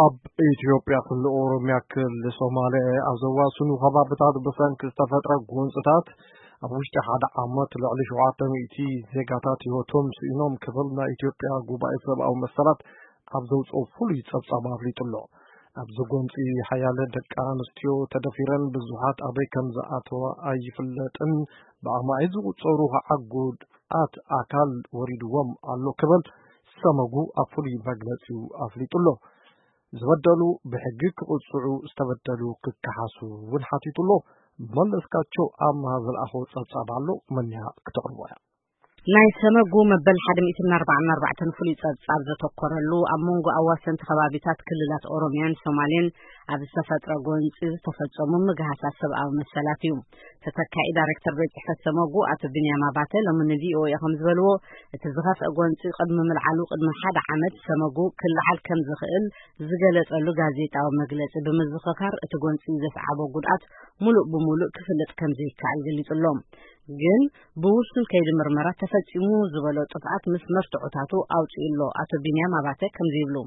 ኣብ ኢትዮጵያ ክልል ኦሮምያ ክልል ሶማሌ ኣብ ዘዋስኑ ከባብታት ብሰንኪ ዝተፈጥረ ጎንፅታት ኣብ ውሽጢ ሓደ ዓመት ልዕሊ ሸውዓተ ሚእቲ ዜጋታት ህይወቶም ስኢኖም ክብል ናይ ኢትዮጵያ ጉባኤ ሰብኣዊ መሰላት ኣብ ዘውፅኦ ፍሉይ ፀብፃብ ኣፍሊጡ ኣሎ። ኣብዚ ጎንፂ ሓያለ ደቂ ኣንስትዮ ተደፊረን ብዙሓት ኣበይ ከም ዝኣተዋ ኣይፍለጥን ብኣማኢት ዝቑፀሩ ከዓ ጉድኣት ኣካል ወሪድዎም ኣሎ ክብል ሰመጉ ኣብ ፍሉይ መግለፂኡ ኣፍሊጡ ኣሎ። ዝበደሉ ብሕጊ ክቕፅዑ ዝተበደሉ ክከሓሱ እውን ሓቲቱ ኣሎ። መለስካቸው ኣምሃ ዝለኣኾ ፀብፃብ ኣሎ። መንያ ክተቕርቦ እያ። ናይ ሰመጉ መበል ሓደ ሚእትን ኣርባዓን ኣርባዕተን ፍሉይ ጸብጻብ ዘተኮረሉ ኣብ መንጎ ኣዋሰንቲ ከባቢታት ክልላት ኦሮምያን ሶማሌን ኣብ ዝተፈጥረ ጎንጺ ዝተፈጸሙ ምግሃሳት ሰብኣዊ መሰላት እዩ። ተተካኢ ዳይሬክተር ቤት ጽሕፈት ሰመጉ ኣቶ ቢንያም ኣባተ ሎሚ ን ቪ ኦ ኤ ከም ዝበልዎ፣ እቲ ዝኸፍአ ጎንጺ ቅድሚ ምልዓሉ ቅድሚ ሓደ ዓመት ሰመጉ ክለዓል ከም ዝኽእል ዝገለጸሉ ጋዜጣዊ መግለጺ ብምዝኽኻር፣ እቲ ጎንጺ ዘስዓቦ ጉድኣት ሙሉእ ብሙሉእ ክፍለጥ ከም ዘይከኣል ገሊጹ ኣሎ። ግን ብውሱን ከይዲ ምርመራ ተፈጺሙ ዝበሎ ጥፍኣት ምስ መርትዖታቱ ኣውጺኡ ኣሎ። ኣቶ ቢንያም ኣባተ ከምዚ ይብሉ።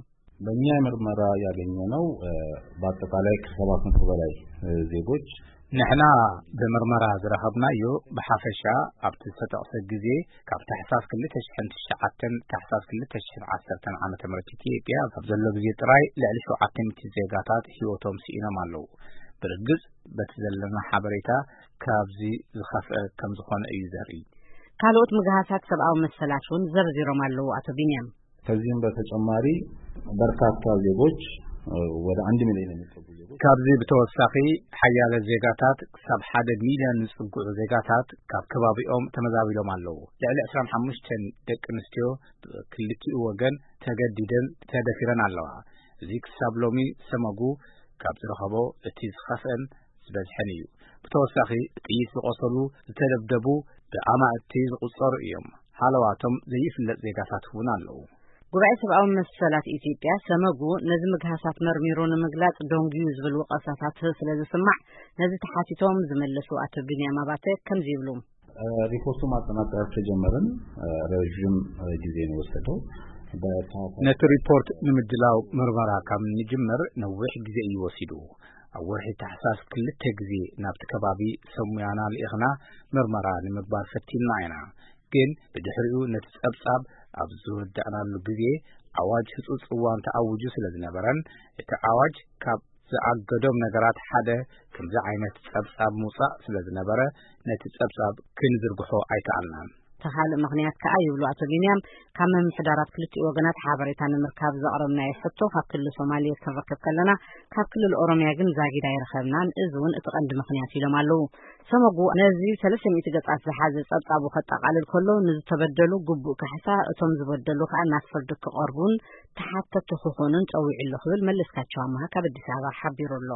በእኛ ምርመራ ያገኘነው፣ እ፣ በአጠቃላይ ከሰባት መቶ በላይ፣ እ፣ ዜጎች ንሕና ብምርመራ ዝረኸብናዮ ብሓፈሻ ኣብቲ ዝተጠቕሰ ግዜ ካብ ታሕሳስ ክልተ ሽሕን ትሽዓተን ታሕሳስ ክልተ ሽሕን ዓሰርተን ዓመተ ምህረት ኢትዮጵያ ኣብ ዘሎ ግዜ ጥራይ ልዕሊ ሸውዓተ ሚእቲ ዜጋታት ህይወቶም ስኢኖም ኣለዉ። ብርግጽ በቲ ዘለና ሓበሬታ ካብዚ ዝኸፍአ ከም ዝኾነ እዩ ዘርኢ። ካልኦት ምግሃሳት ሰብኣዊ መሰላት እውን ዘርዚሮም ኣለዉ ኣቶ ቢንያም። ከዚህም በተጨማሪ በርካታ ዜጎች፣ እ፣ ወደ አንድ ሚሊዮን የሚጠጉ ዜጎች ካብዚ ብተወሳኺ ሓያለ ዜጋታት ክሳብ ሓደ ሚልዮን ዝጽግዑ ዜጋታት ካብ ከባቢኦም ተመዛቢሎም ኣለዉ። ልዕሊ ዕስራን ሓሙሽተን ደቂ ኣንስትዮ ብክልቲኡ ወገን ተገዲደን ተደፊረን ኣለዋ። እዚ ክሳብ ሎሚ ሰመጉ ካብ ዝረኸቦ እቲ ዝኸፍአን ዝበዝሐን እዩ። ብተወሳኺ ጥይት ዝቖሰሉ፣ ዝተደብደቡ ብኣማእቲ ዝቑጸሩ እዮም። ሃለዋቶም ዘይፍለጥ ዜጋታት እውን ኣለዉ። ጉባኤ ሰብኣዊ መሰላት ኢትዮጵያ ሰመጉ ነዚ ምግሃሳት መርሚሩ ንምግላጽ ደንጉዩ ዝብል ወቐሳታት ስለ ዝስማዕ ነዚ ተሓቲቶም ዝመለሱ ኣቶ ቢንያም ኣባተ ከምዚ ይብሉ። እ፣ ሪፖርቱ ማጠናቀር ከጀመርን፣ እ፣ ረዥም፣ እ፣ ጊዜ ነው የወሰደው። በታ- ነቲ ሪፖርት ንምድላው ምርመራ ካብ ንጅምር ነዊሕ ግዜ እዩ ወሲዱ። ኣብ ወርሒ ታሕሳስ ክልተ ግዜ ናብቲ ከባቢ ሰሙያና ልኢኽና ምርመራ ንምግባር ፈቲንና ኢና። ግን ብድሕሪኡ ነቲ ጸብጻብ ኣብ ዝወዳእናሉ ግዜ ኣዋጅ ህጹጽ እዋን ተኣዊጁ ስለ ዝነበረን እቲ ኣዋጅ ካብ ዝኣገዶም ነገራት ሓደ ከምዚ ዓይነት ጸብጻብ ምውጻእ ስለ ዝነበረ ነቲ ጸብጻብ ክንዝርግሖ ኣይከኣልናን። እቲ ካልእ ምኽንያት ከኣ ይብሉ ኣቶ ቢንያም፣ ካብ ምምሕዳራት ክልቲኡ ወገናት ሓበሬታ ንምርካብ ዘቕረብናዮ ሕቶ ካብ ክልል ሶማሌ ክንረክብ ከለና ካብ ክልል ኦሮምያ ግን ዛጊድ ኣይረኸብናን፣ እዚ እውን እቲ ቀንዲ ምኽንያት ኢሎም ኣለዉ። ሰመጉ ነዚ ሰለስተ ሚእቲ ገጻት ዝሓዘ ጸብጻቡ ከጠቓልል ከሎ ንዝተበደሉ ግቡእ ካሕሳ፣ እቶም ዝበደሉ ከኣ ናብ ፍርዲ ክቐርቡን ተሓተቲ ክኾኑን ጸዊዑ ኣሎ ክብል መለስካቸው ኣምሃ ካብ ኣዲስ ኣበባ ሓቢሩ ኣሎ።